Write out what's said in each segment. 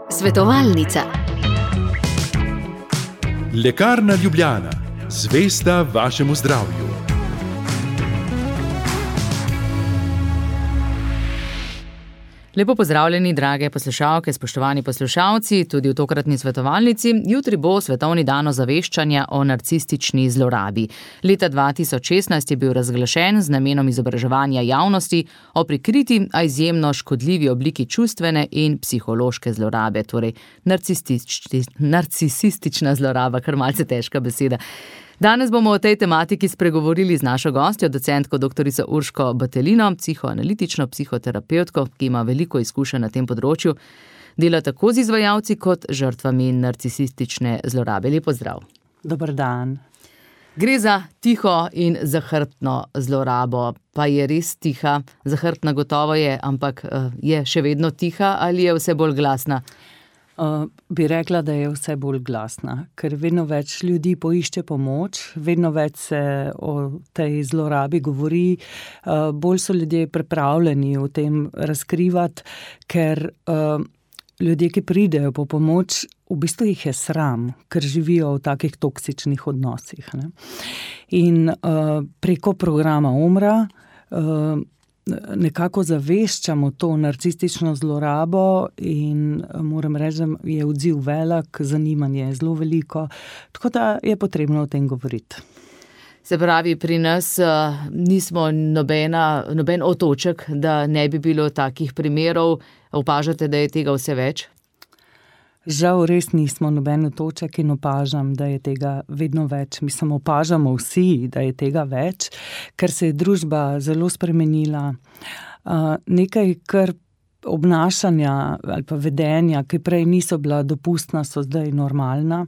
Svetovalnica. Lekarna Ljubljana, zvesta vašemu zdravju. Lepo pozdravljeni, drage poslušalke, spoštovani poslušalci, tudi v tokratni svetovalnici. Jutri bo svetovni dan ozaveščanja o narcistični zlorabi. Leta 2016 je bil razglašen z namenom izobraževanja javnosti o prikriti, a izjemno škodljivi obliki čustvene in psihološke zlorabe, torej narcisistična zloraba, kar malce težka beseda. Danes bomo o tej tematiki spregovorili z našo gostjo, docentko doktorico Urško Batelino, psihoanalitično psihoterapevtko, ki ima veliko izkušenj na tem področju. Dela tako z izvajalci kot žrtvami narcisistične zlorabe. Lep pozdrav. Dober dan. Gre za tiho in zahrbtno zlorabo. Pa je res tiha, zahrbtna gotovo je, ampak je še vedno tiha ali je vse bolj glasna? Bi rekla, da je vse bolj glasna, ker vedno več ljudi poišče pomoč, vedno več se o tej zlorabi govori, bolj so ljudje pripravljeni o tem razkrivati, ker ljudje, ki pridejo po pomoč, v bistvu jih je sram, ker živijo v takih toksičnih odnosih. Ne? In preko programa Umra nekako zaveščamo to narcistično zlorabo in moram reči, da je odziv velik, zanimanje je zelo veliko, tako da je potrebno o tem govoriti. Se pravi, pri nas nismo noben otoček, da ne bi bilo takih primerov. Opažate, da je tega vse več? Žal res nismo noben otoček in opažam, da je tega vedno več. Mislim, opažamo vsi, da je tega več, ker se je družba zelo spremenila. Nekaj, kar obnašanja ali pa vedenja, ki prej niso bila dopustna, so zdaj normalna.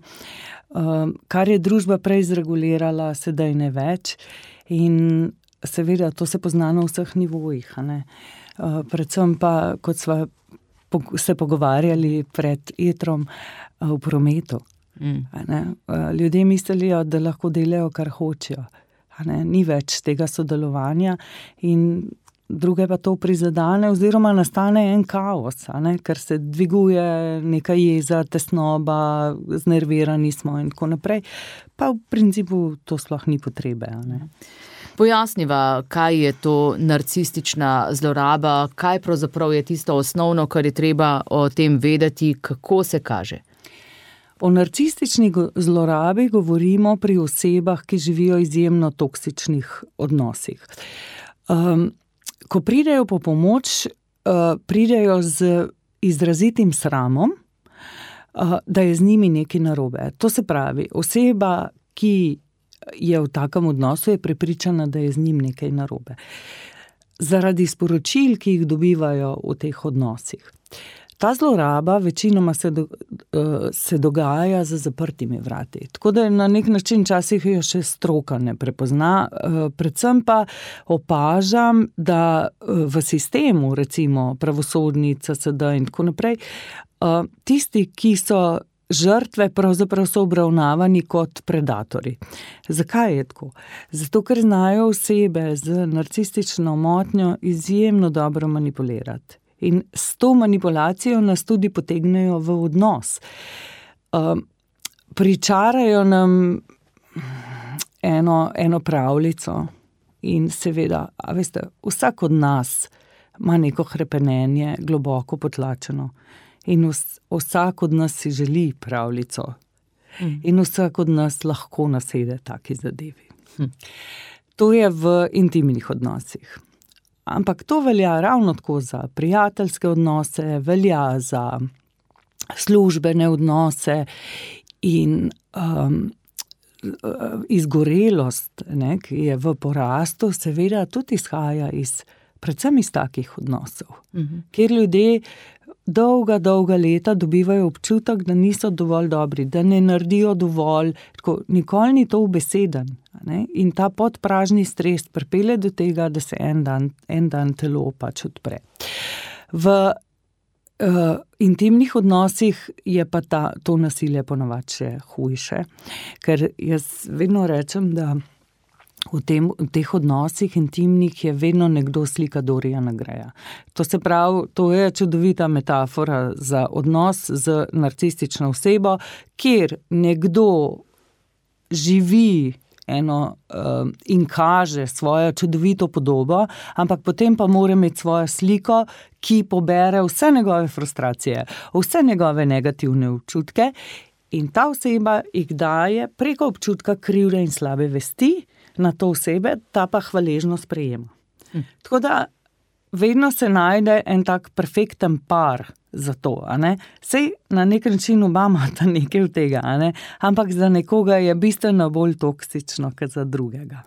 Kar je družba prej zregulirala, sedaj ne več. In seveda to se pozna na vseh nivojih. Predvsem pa, kot sva se pogovarjali pred etrom, v prometu. Ljudje mislijo, da lahko delajo, kar hočejo. Ni več tega sodelovanja in druge pa to prizadene oziroma nastane en kaos, ker se dviguje neka jeza, tesnoba, znervirani smo in tako naprej. Pa v principu to sploh ni potrebe. Pojasniva, kaj je to narcistična zloraba, kaj pravzaprav je tisto osnovno, kar je treba o tem vedeti, kako se kaže? O narcistični zlorabi govorimo pri osebah, ki živijo izjemno toksičnih odnosih. Ko pridejo po pomoč, pridejo z izrazitim sramom, da je z njimi nekaj narobe. To se pravi, oseba, ki je v takem odnosu, je prepričana, da je z njim nekaj narobe. Zaradi sporočil, ki jih dobivajo v teh odnosih. Ta zloraba večinoma se dogaja za zaprtimi vrati. Tako da na nek način včasih jo še stroka ne prepozna. Predvsem pa opažam, da v sistemu, recimo pravosodni, CSD in tako naprej, tisti, ki so žrtve, pravzaprav so obravnavani kot predatori. Zakaj je tako? Zato, ker znajo osebe z narcistično motnjo izjemno dobro manipulirati. In s to manipulacijo nas tudi potegnejo v odnos. Pričarajo nam eno pravljico in seveda, veste, vsak od nas ima neko hrepenenje globoko potlačeno. In vsak od nas si želi pravljico. In vsak od nas lahko nasede taki zadevi. To je v intimnih odnosih. Ampak to velja ravno tako za prijateljske odnose, velja za službene odnose in izgorelost, ki je v porastu, seveda tudi izhaja predvsem iz takih odnosov, kjer ljudje dolga leta dobivajo občutek, da niso dovolj dobri, da ne naredijo dovolj, tako, nikoli ni to ubeseden. In ta podpražni stres pripelje do tega, da se en dan telo pač odpre. V intimnih odnosih je pa to nasilje ponavadi še hujše, ker jaz vedno rečem, da v teh odnosih intimnih je vedno nekdo slika Doriana Graya. To se pravi, to je čudovita metafora za odnos z narcistično osebo, kjer nekdo živi in kaže svojo čudovito podobo, ampak potem pa mora imeti svojo sliko, ki pobere vse njegove frustracije, vse njegove negativne občutke in ta oseba jih daje preko občutka krivde in slabe vesti na to osebe, ta pa hvaležno sprejema. Tako da vedno se najde en tak perfekten par za to, a ne. Sej na nek način oba imata nekaj od tega, a ne, ampak za nekoga je bistveno bolj toksično, kot za drugega.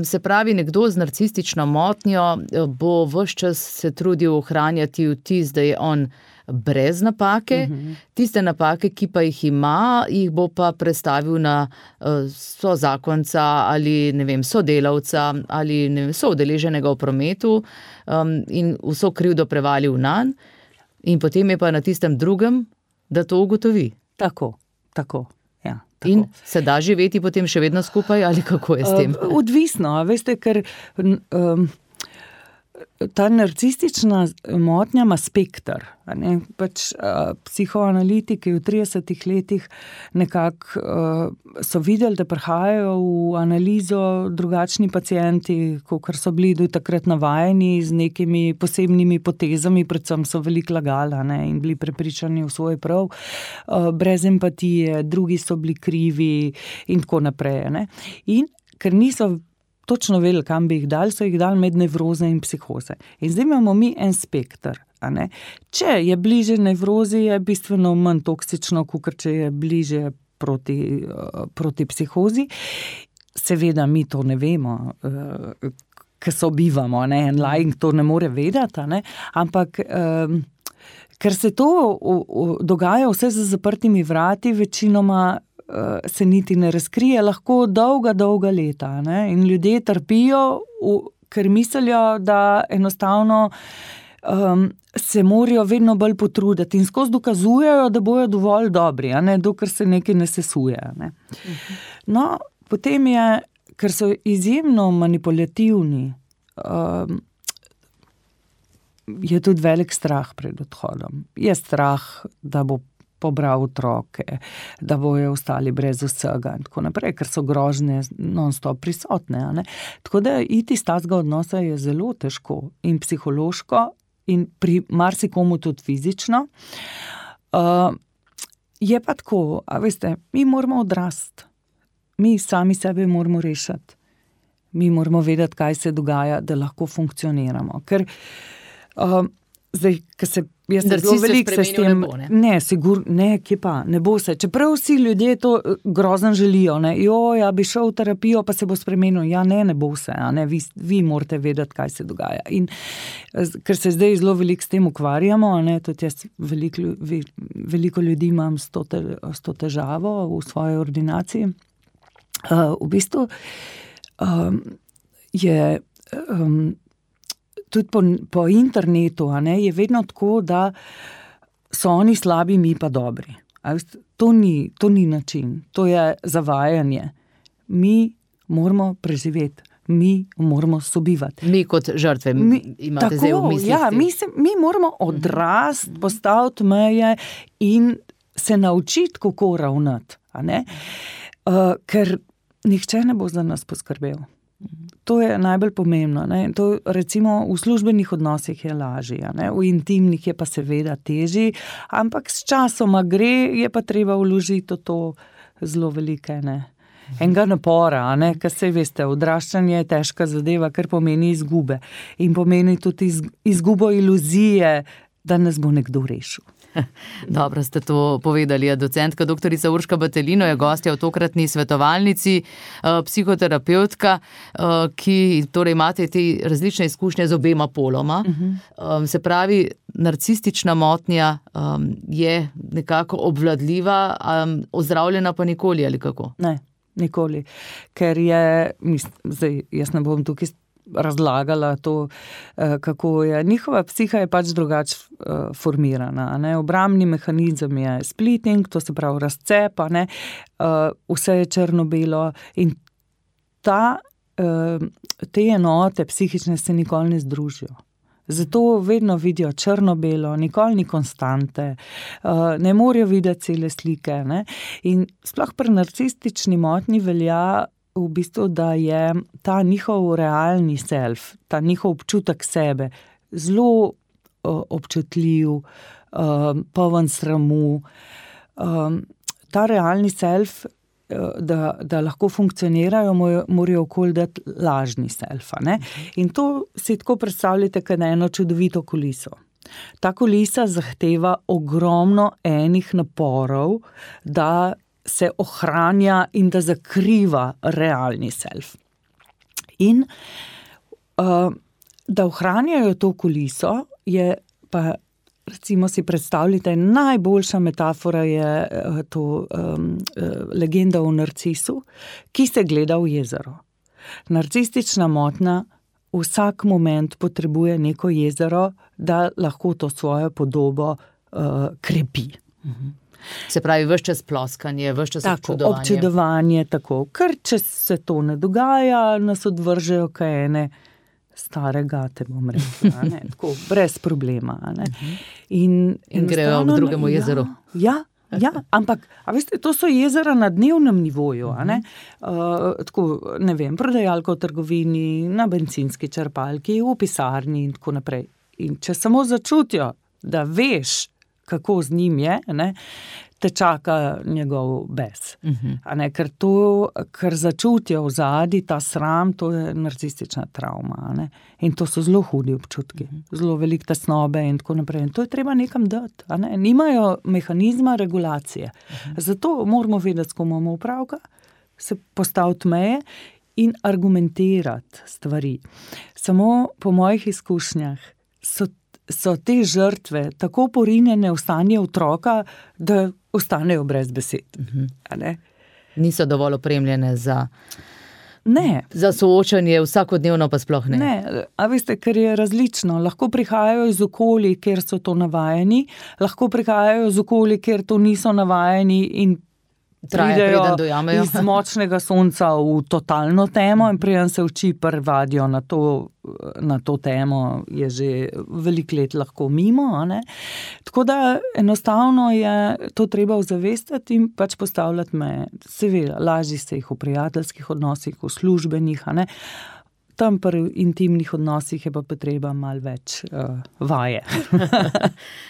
Se pravi, nekdo z narcistično motnjo bo ves čas se trudil ohranjati vtis, da je on brez napake, tiste napake, ki pa jih ima, jih bo pa prestavil na sozakonca ali, ne vem, sodelavca ali, ne vem, soudeleženega v prometu in vso krivdo prevalil nanj in potem je pa na tistem drugem, da to ugotovi. Tako. Ja, tako. In se da živeti potem še vedno skupaj ali kako je s tem? Odvisno, veste, ker ta narcistična motnja ima spekter. Pač psihoanalitiki v 30 letih nekako so videli, da prihajajo v analizo drugačni pacienti, kakor so bili do takrat navajeni z nekimi posebnimi potezami, predvsem so veliko lagali in bili prepričani v svoj prav, brez empatije, drugi so bili krivi in tako naprej. In ker niso točno vedeli, kam bi jih dali, so jih dali med nevroze in psihoze. In zdaj imamo mi en spekter. Če je bliže nevrozi, je bistveno manj toksično, kot če je bliže proti psihozi. Seveda mi to ne vemo, ker sobivamo, en laik to ne more vedeti, ampak ker se to dogaja vse za zaprtimi vrati, večinoma se niti ne razkrije, lahko dolga leta. In ljudje trpijo, ker mislijo, da enostavno se morajo vedno bolj potruditi in skozi dokazujejo, da bojo dovolj dobri, dokler se nekaj ne sesuje. No, potem je, ker so izjemno manipulativni, je tudi velik strah pred odhodom. Je strah, da bo pobral otroke, da bojo ostali brez vsega in tako naprej, ker so grožnje non-stop prisotne. Tako da iti iz tazga odnosa je zelo težko in psihološko in pri marsikomu tudi fizično. Je pa tako, a veste, mi moramo odrasti. Mi sami sebe moramo rešiti. Mi moramo vedeti, kaj se dogaja, da lahko funkcioniramo. Ker zdaj, ker se jaz zelo veliko se s tem... kje pa, ne bo se. Čeprav vsi ljudje to grozno želijo, ja, bi šel v terapijo, pa se bo spremenil. Ja, ne bo se, vi morate vedeti, kaj se dogaja. In ker se zdaj zelo veliko s tem ukvarjamo, tudi jaz veliko ljudi imam s to težavo v svoji ordinaciji, v bistvu je... Tudi po internetu je vedno tako, da so oni slabi, mi pa dobri. To ni način, to je zavajanje. Mi moramo preživeti, mi moramo sobivati. Mi kot žrtve imate zdaj v mislih. Ja, mi moramo odrasti, postaviti meje in se naučiti, kako ravnati. Ker nihče ne bo za nas poskrbel. To je najbolj pomembno. To recimo v službenih odnosih je lažje, v intimnih je pa seveda težji, ampak s časoma gre, je pa treba vložiti to zelo velike, enega napora, ker se veste, odraščanje je težka zadeva, ker pomeni izgube in pomeni tudi izgubo iluzije, da nas bo nekdo rešil. Dobro ste to povedali. Docentka doktorica Urška Batelino je gostja v tokratni svetovalnici, psihoterapeutka, ki torej imate te različne izkušnje z obema poloma. Se pravi, narcistična motnja je nekako obvladljiva, ozdravljena pa nikoli ali kako? Ne, nikoli. Ker je, zdaj jaz ne bom tukaj razlagala to, kako je. Njihova psiha je pač drugače formirana. Obrambni mehanizem je splitting, to se pravi razcep, vse je črno-belo in te enote psihične se nikoli ne združijo. Zato vedno vidijo črno-belo, nikoli ni konstante, ne morejo videti cele slike. Ne? In sploh pri narcistični motnji velja v bistvu, da je ta njihov realni self, ta njihov občutek sebe zelo občutljiv, poln sramu. Ta realni self, da lahko funkcionirajo, morajo okoli dati lažni selfa. Ne? In to si tako predstavljate, kot eno čudovito kuliso. Ta kulisa zahteva ogromno enih naporov, da se ohranja in da zakriva realni self. In da ohranjajo to kuliso, je pa, recimo si predstavljate, najboljša metafora je to legenda o narcisu, ki se gleda v jezero. Narcistična motnja vsak moment potrebuje neko jezero, da lahko to svojo podobo krepi. Se pravi, ves čas ploskanje, ves čas občudovanje. Občudovanje, tako. Ker če se to ne dogaja, nas odvržejo kaj ene stare gate, bom rekla, ne, tako, brez problema. Ne. In grejo k drugemu jezeru. Ja, ampak, a veste, to so jezera na dnevnem nivoju, a ne, tako, ne vem, prodajalka v trgovini, na bencinski črpalki, v pisarni in tako naprej. In če samo začutijo, da veš, kako z njim je, ne, te čaka njegov bes. A ne, ker začutijo v zadnji ta sram, to je narcistična travma. A ne. In to so zelo hudi občutki, zelo veliko tesnobe in tako naprej. In to je treba nekam dati. A ne. Nimajo mehanizma regulacije. Zato moramo vedeti, s kom imamo opravka, se postaviti meje in argumentirati stvari. Samo po mojih izkušnjah so te žrtve tako porinjene v stanje otroka, da ostanejo brez besed. A ne? Niso dovolj opremljene za za soočanje, vsakodnevno pa sploh ne. Ne, a veste, ker je različno. Lahko prihajajo iz okolij, kjer so to navajeni, lahko prihajajo iz okolij, kjer to niso navajeni in pridejo iz močnega sonca v totalno temo in preden se oči privadijo na to temo, je že veliko let lahko mimo. A ne? Tako da enostavno je to treba ozavestiti in pač postavljati meje. Seveda, lažje se jih v prijateljskih odnosih, v službenih, a ne. Tam pri intimnih odnosih je pa potreba malo več vaje.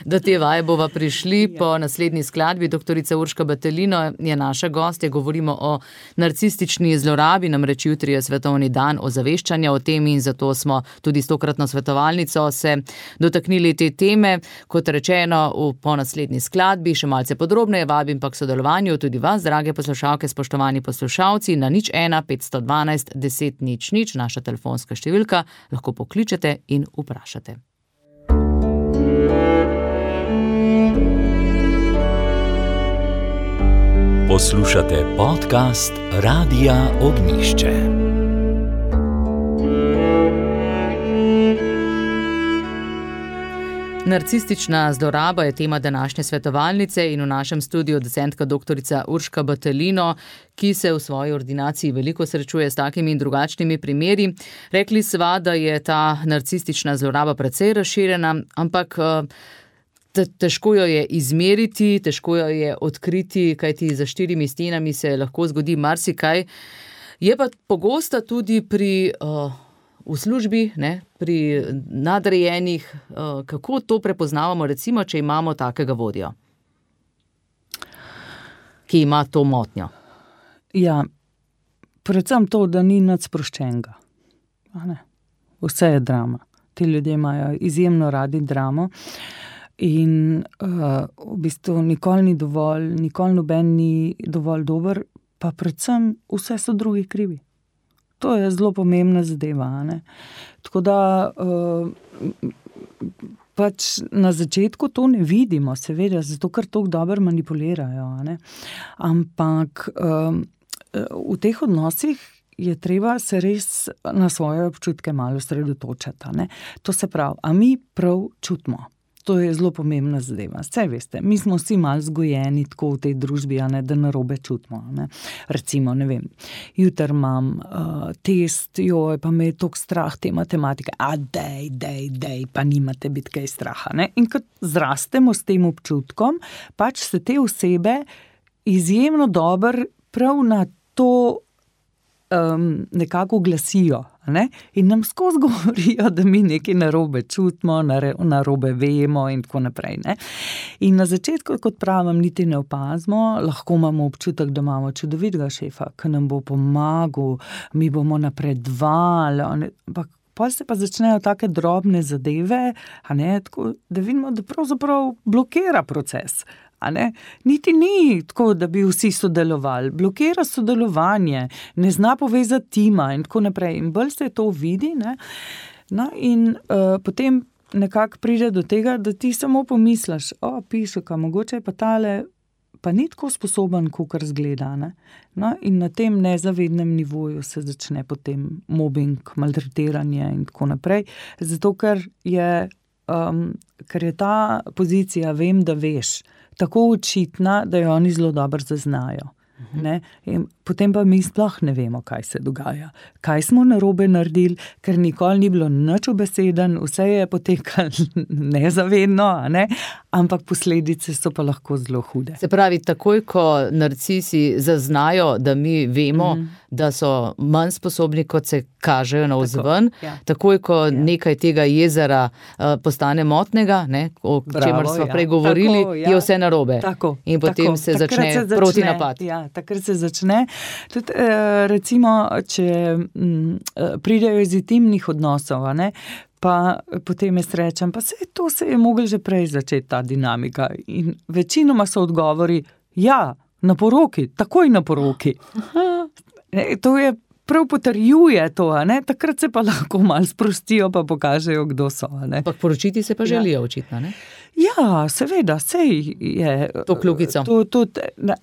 Do te vaje bova prišli po naslednji skladbi. Doktorica Urška Batelino je naša gostja. Govorimo o narcistični zlorabi, namreč jutri je svetovni dan ozaveščanja o tem in zato smo tudi s tokratno svetovalnico se dotaknili te teme. Kot rečeno, po naslednji skladbi še malce podrobneje vabim pa k sodelovanju tudi vas, drage poslušalke, spoštovani poslušalci, na 01 512 10 00, naša telefonska številka, lahko pokličete in vprašate. Poslušate podcast Radia Ognjišče. Narcistična zloraba je tema današnje svetovalnice in v našem studiu docentka doktorica Urška Batelino, ki se v svoji ordinaciji veliko srečuje s takimi in drugačnimi primeri. Rekli sva, da je ta narcistična zloraba precej razširjena, ampak težko jo je izmeriti, težko jo je odkriti, kajti za 4 stenami se lahko zgodi marsikaj. Je pa pogosta tudi v službi, ne, pri nadrejenih, kako to prepoznavamo, recimo, če imamo takega vodjo, ki ima to motnjo? Ja, predvsem to, da ni nič sproščenega. Vse je drama. Ti ljudje imajo izjemno radi dramo in v bistvu nikoli ni dovolj, nikoli noben ni dovolj dober, pa predvsem vse so drugi krivi. To je zelo pomembna zadeva. Ne? Tako da pač na začetku to ne vidimo, seveda, zato ker tako dobro manipulirajo. Ne? Ampak v teh odnosih je treba se res na svoje občutke malo osredotočiti. Ne? To se pravi, a mi prav čutimo. to je zelo pomembna zadeva. Saj veste, mi smo vsi malo zgojeni tako v tej družbi, da narobe čutimo. Ne? Recimo, ne vem, jutri imam test, pa me je toliko strah te matematike, dej, pa nimate biti kaj straha. Ne? In kot zrastemo s tem občutkom, pač se te osebe izjemno dobro prav na to nekako glasijo, ne? In nam skozi govorijo, da mi nekaj narobe čutimo, narobe vemo in tako naprej. Ne? In na začetku, kot pravim, niti ne opazimo, lahko imamo občutek, da imamo čudovitega šefa, ki nam bo pomagal, mi bomo napredovali, ampak potem se pa začnejo take drobne zadeve, tako, da vidimo, da pravzaprav blokira proces. Niti ni tako, da bi vsi sodelovali, blokira sodelovanje, ne zna povezati tima in tako naprej. In bolj se to vidi, ne? No, in potem nekako pride do tega, da ti samo pomisliš, pišeka, mogoče je pa tale, pa ni tako sposoben, kakor zgleda. Ne? No, in na tem nezavednem nivoju se začne potem mobbing, maltretiranje in tako naprej, zato ker je ta pozicija, vem, da veš, tako očitna, da jo oni zelo dobro zaznajo. Ne? In potem pa mi sploh ne vemo, kaj se dogaja. Kaj smo narobe naredili, ker nikoli ni bilo nič ubeseden, vse je potekalo nezavedno, ne? Ampak posledice so pa lahko zelo hude. Se pravi, takoj, ko narcisi zaznajo, da mi vemo, da so manj sposobni, kot se kažejo navzven, takoj, ko nekaj tega jezera postane motnega, ne? O čemer smo prej govorili, je vse narobe. In potem se začne protinapad. Takrat se začne. Tudi, recimo, če pridejo iz intimnih odnosov, pa potem jaz rečem, pa to se je moglo že prej začeti, ta dinamika. In večinoma so odgovori, na poroki, takoj na poroki. To je prav potrjuje to, takrat se pa lahko malo sprostijo, pa pokažejo, kdo so. Ampak poročiti se pa želijo očitno, ne? Ja, seveda, sej je. To kljukico.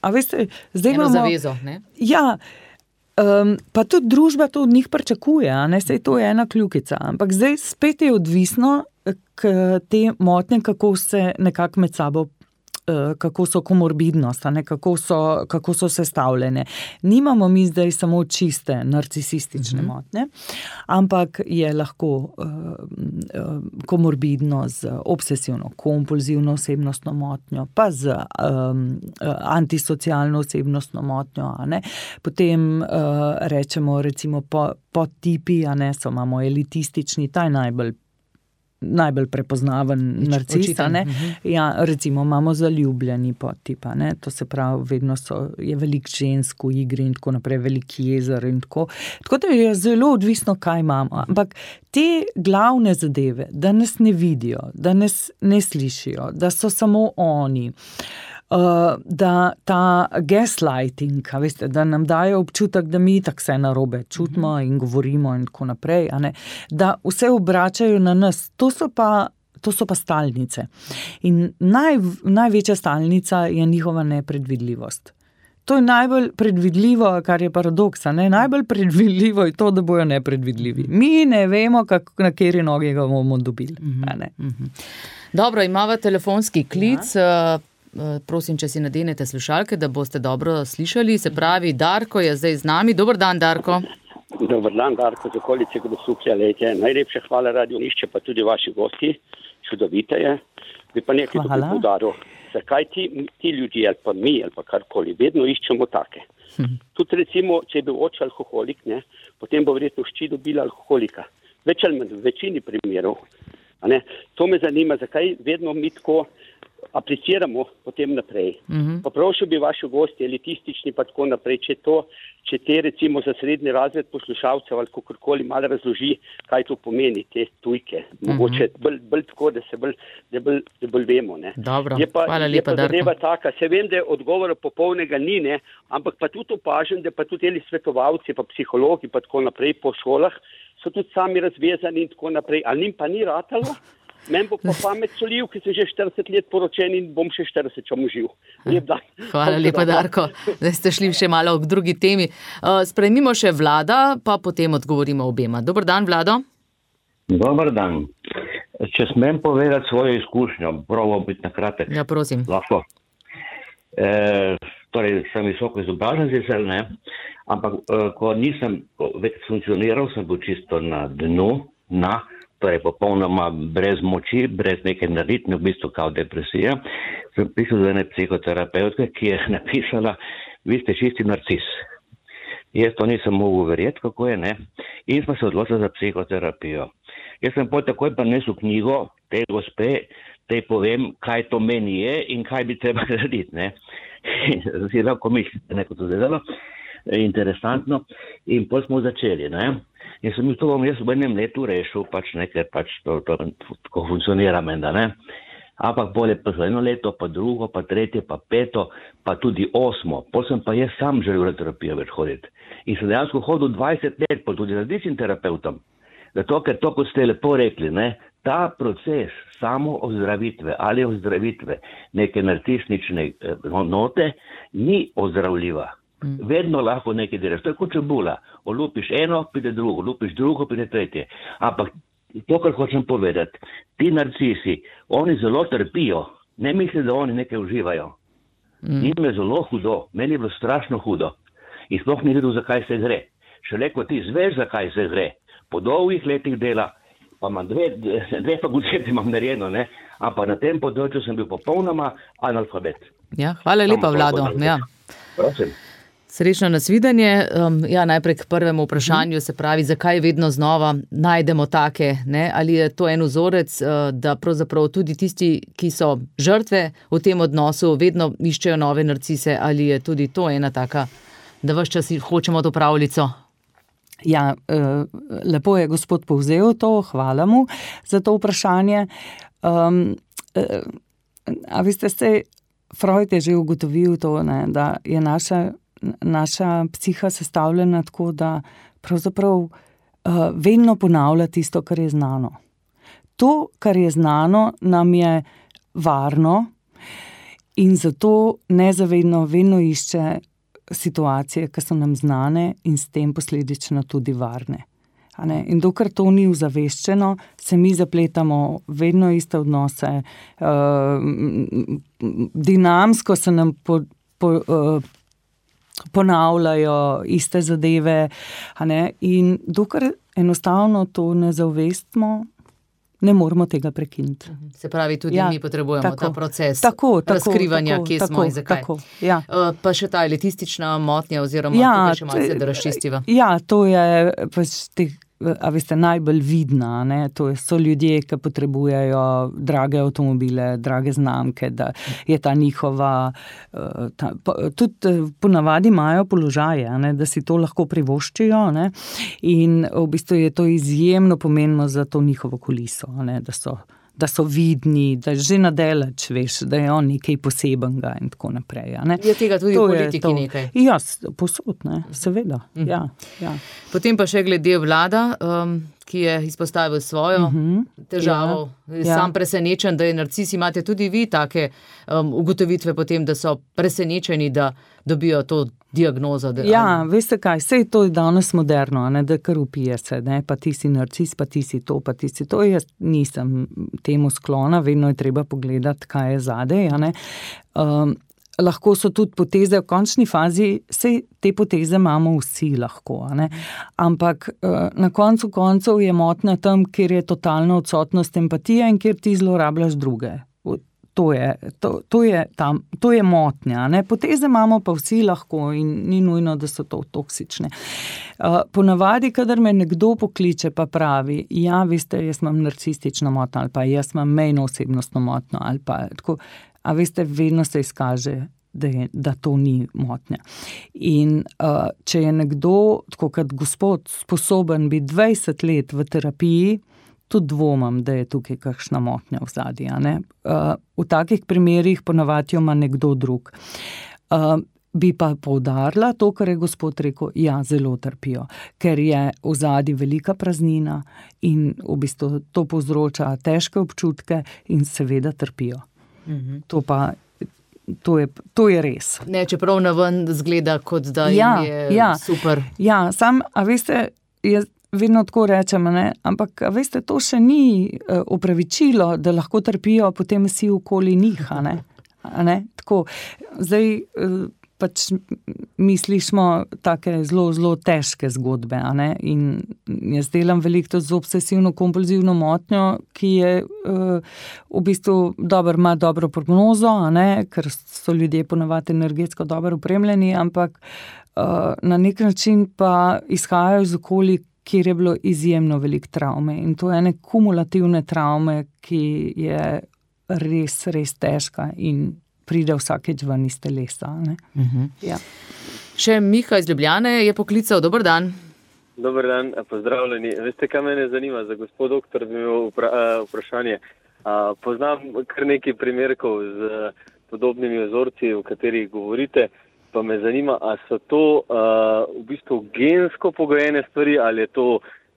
A veste, zdaj imamo. Zavezo, ne? Ja, pa tudi družba to od njih pričakuje, sej to je ena kljukica. Ampak zdaj spet je odvisno, te motnje, kako se nekako med sabo kako so komorbidnost, kako so sestavljene. Nimamo mi zdaj samo čiste narcisistične motnje, ampak je lahko komorbidno z obsesivno-kompulzivno osebnostno motnjo, pa z antisocialno osebnostno motnjo. Potem rečemo recimo podtipi, imamo elitistični, ta je najbolj prepoznaven narcis, Ja, recimo imamo zaljubljeni podtip, to se pravi, vedno je veliko žensk v igri in tako naprej, velik jezer in tako. Tako da je zelo odvisno, kaj imamo. Ampak te glavne zadeve, da nas ne vidijo, da nas ne slišijo, da so samo oni, da ta gaslighting, veste, da nam dajo občutek, da mi tako vse narobe čutimo in govorimo in tako naprej, da vse obračajo na nas, to so pa stalnice. In največja stalnica je njihova nepredvidljivost. To je najbolj predvidljivo, kar je paradoks, najbolj predvidljivo je to, da bojo nepredvidljivi. Mi ne vemo, na kateri nogi ga bomo dobili. Dobro, imamo telefonski klic. Prosim, če si nadenete slušalke, da boste dobro slišali. Se pravi, Darko je zdaj z nami. Dober dan, Darko. Dober dan, Darko, z okolice Grosuplja. Najlepša hvala Radio Ognišče, pa tudi vaši gosti. Čudovite je. Bi pa nekaj tukaj poudaril. Zakaj ti ljudje, ali pa mi, ali pa karkoli, vedno iščemo take. Tudi recimo, če je bil oče alkoholik, potem bo verjetno hči dobila alkoholika. Več ali manj, v večini primerov. To me zanima, zakaj vedno mi tako apliciramo potem naprej. Poprošil bi vaši gosti, elitistični pa tako naprej, če te recimo za srednji razred poslušalcev ali kakorkoli malo razloži, kaj to pomeni, te tujke. Mogoče bolj tako, da bolj vemo. Dobro, hvala lepa, Darko. Je pa taka, se vem, da je odgovora popolnega ni, ampak pa tudi opažam, da pa tudi svetovalci, pa psihologi pa tako naprej po šolah so tudi sami razvezani in tako naprej. Ali njim pa ni ratalo? Meni bo pa pamet solil, ki sem že 40 let poročen in bom še 40 čom živ. Lep dan. Hvala lepa, Darko. Zdaj ste šli še malo k drugi temi. Sprejmimo še Vlada, pa potem odgovorimo obema. Dober dan, Vlado. Dober dan. Če smem povedati svojo izkušnjo, probam biti na kratek. Ja, prosim. Lahko. Torej, sem visoko izobražen sicer, ne, ampak ko nisem več funkcioniral, sem bil čisto na dnu, torej popolnoma brez moči, brez nekaj narediti, v bistvu kao depresija. Sem prišel do ene psihoterapevtke, ki je napisala, vi ste čisti narcis. Jaz to nisem mogel verjeti, kako je, ne, in smo se odločili za psihoterapijo. Jaz sem potem takoj prinesel knjigo te gospe, te povem, kaj to meni je in kaj bi treba narediti, ne. Si lahko mislite, neko to zdelo, interesantno, in potem smo začeli, ne. In sem to bom jaz v enem letu rešil, pač nekaj, pač to tako funkcionira menda, ne. Ampak bolje pa za 1 leto, pa 2, pa 3, pa 5, pa tudi 8. Potem sem pa jaz sam želel na terapijo več hoditi. In sem dejansko hodil 20 let, pa tudi različnim terapeutom. Zato, ker to, kot ste lepo rekli, ne, ta proces samo ozdravitve ali ozdravitve neke narcistične note ni ozdravljiva. Vedno lahko nekaj delaš. To je kot čebula. Olupiš eno, pride drugo, olupiš drugo, pride tretje. Ampak to, kar hočem povedati, ti narcisi, oni zelo trpijo. Ne misli, da oni nekaj uživajo. Njim je zelo hudo. Meni je bilo strašno hudo. In sploh ni vedel, zakaj se gre. Šele ko ti zveš, zakaj se gre, po dolgih letih dela, pa imam dve fakultete imam narejeno, ne, ampak na tem področju sem bil popolnoma analfabet. Ja, hvala lepa, Vlado. Ja. Prosim. Srečno nasvidenje. Ja, najprej k prvemu vprašanju, se pravi, zakaj vedno znova najdemo take, ne? Ali je to en vzorec, da pravzaprav tudi tisti, ki so žrtve v tem odnosu, vedno iščejo nove narcise, ali je tudi to ena taka, da ves čas hočemo to pravljico? Ja, lepo je gospod povzel to, hvala mu za to vprašanje. A veste, Freud je že ugotovil to, ne, da je naša psiha sestavljena tako, da pravzaprav vedno ponavlja tisto, kar je znano. To, kar je znano, nam je varno in zato nezavedno vedno išče situacije, ki so nam znane in s tem posledično tudi varne. In dokler to ni uzaveščeno, se mi zapletamo vedno iste odnose, dinamsko se nam ponavljajo iste zadeve, in dokler enostavno to ne zavestimo, ne moramo tega prekiniti. Se pravi, tudi mi potrebujemo ta proces razkrivanja, kje smo in zakaj. Ja. Pa še ta elitistična motnja oziroma tukaj še malce, da razčistiva. Ja, to je pač a veste, najbolj vidna, ne? To so ljudje, ki potrebujejo drage avtomobile, drage znamke, da je ta njihova, tudi ponavadi imajo položaje, ne? Da si to lahko privoščijo, ne? In v bistvu je to izjemno pomembno za to njihovo kuliso, ne? Da so vidni, da že nadaleč veš, da je on nekaj posebenega in tako naprej. Ne? Je tega tudi v politiki nekaj? Ja, posod, ne, seveda. Ja. Potem pa še glede Vlada, ki je izpostavil svojo težavo. Sam presenečen, da je narcis, imate tudi vi take ugotovitve potem, da so presenečeni, da dobijo to diagnozo. Ja, veste kaj, sej to je danes moderno, ne, da kar upije se, ne, pa ti si narcis, pa ti si to, pa ti si to. Jaz nisem temu sklona, vedno je treba pogledati, kaj je zadej, ne. Lahko so tudi poteze v končni fazi, sej te poteze imamo vsi lahko, ne. Ampak na koncu koncev je motnja tam, kjer je totalna odsotnost empatije in kjer ti zlorabljaš druge. To je motnja, ne. Poteze imamo pa vsi lahko in ni nujno, da so to toksične. Ponavadi, kadar me nekdo pokliče pa pravi, ja, veste, jaz imam narcistično motnjo ali pa jaz imam mejno osebnostno motnjo ali pa tako, a veste, vedno se izkaže, da to ni motnja. In če je nekdo, tako kot gospod, sposoben biti 20 let v terapiji, tudi dvomim, da je tukaj kakšna motnja v zadnji, ne. V takih primerih ponavadi ima nekdo drug. Bi pa poudarila to, kar je gospod rekel, ja, zelo trpijo, ker je v zadnji velika praznina in v bistvu to povzroča težke občutke in seveda trpijo. To je res. Ne, čeprav naven zgleda, kot da jim je super. Ja, a veste, vedno tako rečem, ne? Ampak veste, to še ni opravičilo, da lahko trpijo potem vsi okoli njih, a ne? Tako, zdaj pač mislišmo take zelo, zelo težke zgodbe, a ne? In jaz delam veliko z obsesivno-kompulzivno motnjo, ki je v bistvu ima dobro prognozo, a ne? Ker so ljudje ponavadi energetsko dobro opremljeni, ampak na nek način pa izhajajo iz okolij, kjer je bilo izjemno veliko travme. In to je ene kumulativne travme, ki je res, res težka in pride vsakeč ven iz telesa. Ne? Ja. Še Miha iz Ljubljane je poklical. Dober dan. Dober dan, pozdravljeni. Veste, kaj mene zanima? Za gospod doktor bi imel vprašanje. Poznam kar nekaj primerkov z podobnimi vzorci, o katerih govorite, pa me zanima, a so to v bistvu gensko pogojene stvari, ali je to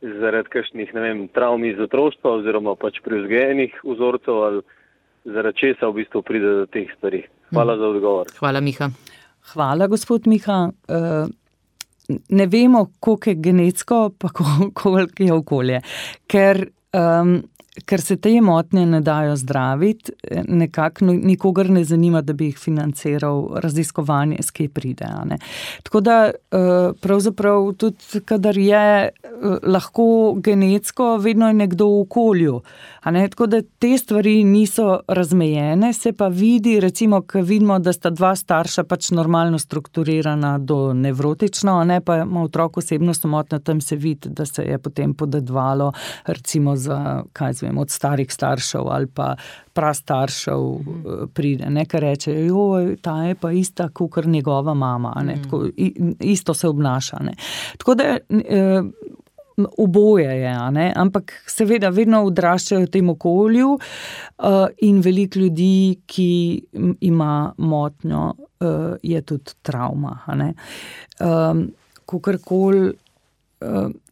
zaradi kakšnih, travm iz otroštva oziroma pač pri vzgojenih vzorcev, ali zaradi česa v bistvu pride do teh stvari. Hvala za odgovor. Hvala, Miha. Hvala, gospod Miha. Ne vemo, koliko je genetsko, pa koliko je okolje. Ker se te motnje ne dajo zdraviti, nekako nikogar ne zanima, da bi jih financiral raziskovanje, s kje pride. Ne? Tako da pravzaprav tudi, kadar je lahko genetsko, vedno je nekdo v okolju. A ne? Tako da te stvari niso razmejene, se pa vidi, recimo, ko vidimo, da sta dva starša pač normalno strukturirana do nevrotično, a ne, pa ima otrok osebnostno motnjo, tam se vidi, da se je potem podedovalo, recimo za, od starih staršev ali pa prastaršev pride, nekaj reče, ta je pa ista kakor njegova mama, ne, tako, isto se obnaša. Ne. Tako da oboje je, ne, ampak seveda vedno odraščajo v tem okolju in veliko ljudi, ki ima motnjo, je tudi travma. Ne. Kakorkoli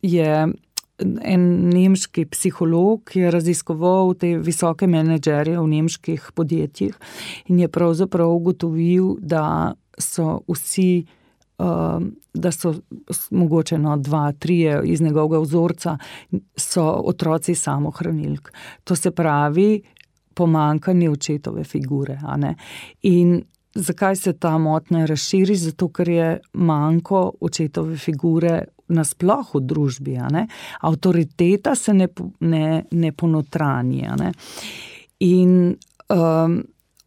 je en nemški psiholog, ki je raziskoval te visoke menedžerje v nemških podjetjih in je pravzaprav ugotovil, da so vsi, da so mogoče 2, 3 iz njegovega vzorca, so otroci samohranilk. To se pravi pomanjkanje očetove figure. A ne? In zakaj se ta motnja razširi? Zato, ker je manjko očetove figure nasploh v družbi, a ne? Avtoriteta se ne ponotranje, a ne? In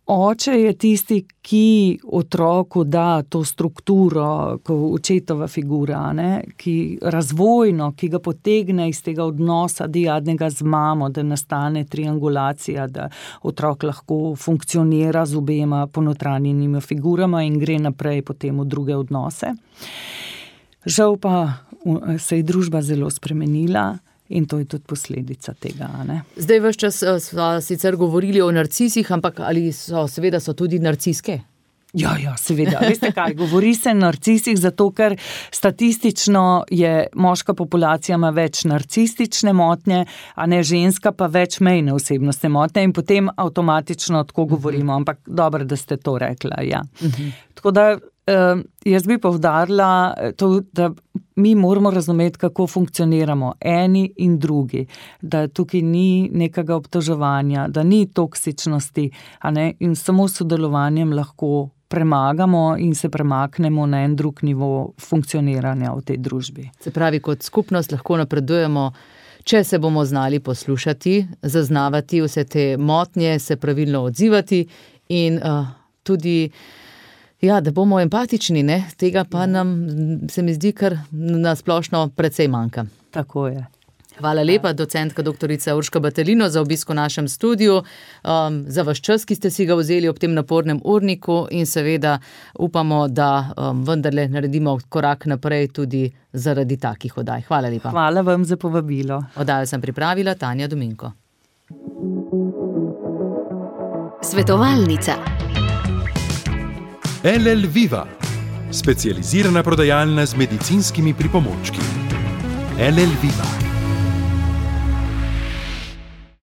oče je tisti, ki otroku da to strukturo, očetova figura, a ne? Ki razvojno, ki ga potegne iz tega odnosa diadnega z mamo, da nastane triangulacija, da otrok lahko funkcionira z obema ponotranjenimi figurama in gre naprej potem v druge odnose. Žal pa se je družba zelo spremenila in to je tudi posledica tega. Ne? Zdaj ves čas smo sicer govorili o narcisih, ampak ali so tudi narciske? Ja, seveda. Veste kaj, govori se narcisih, zato ker statistično je moška populacija ima več narcistične motnje, a ne ženska pa več mejne osebnostne motnje in potem avtomatično tako govorimo, ampak dobro, da ste to rekla, ja. Tako da jaz bi poudarila to, da mi moramo razumeti, kako funkcioniramo eni in drugi, da tukaj ni nekega obtoževanja, da ni toksičnosti, a ne, in samo s sodelovanjem lahko premagamo in se premaknemo na en drug nivo funkcioniranja v tej družbi. Se pravi, kot skupnost lahko napredujemo, če se bomo znali poslušati, zaznavati vse te motnje, se pravilno odzivati in tudi da bomo empatični, ne? Tega pa nam, se mi zdi, kar na splošno precej manjka. Tako je. Hvala lepa, docentka doktorica Urška Batelino, za obisk v našem studiu, za vaš čas, ki ste si ga vzeli ob tem napornem urniku in seveda upamo, da vendarle naredimo korak naprej tudi zaradi takih oddaj. Hvala lepa. Hvala vam za povabilo. Oddajo sem pripravila Tanja Dominko. Svetovalnica. LL Viva, specializirana prodajalna z medicinskimi pripomočki. LL Viva.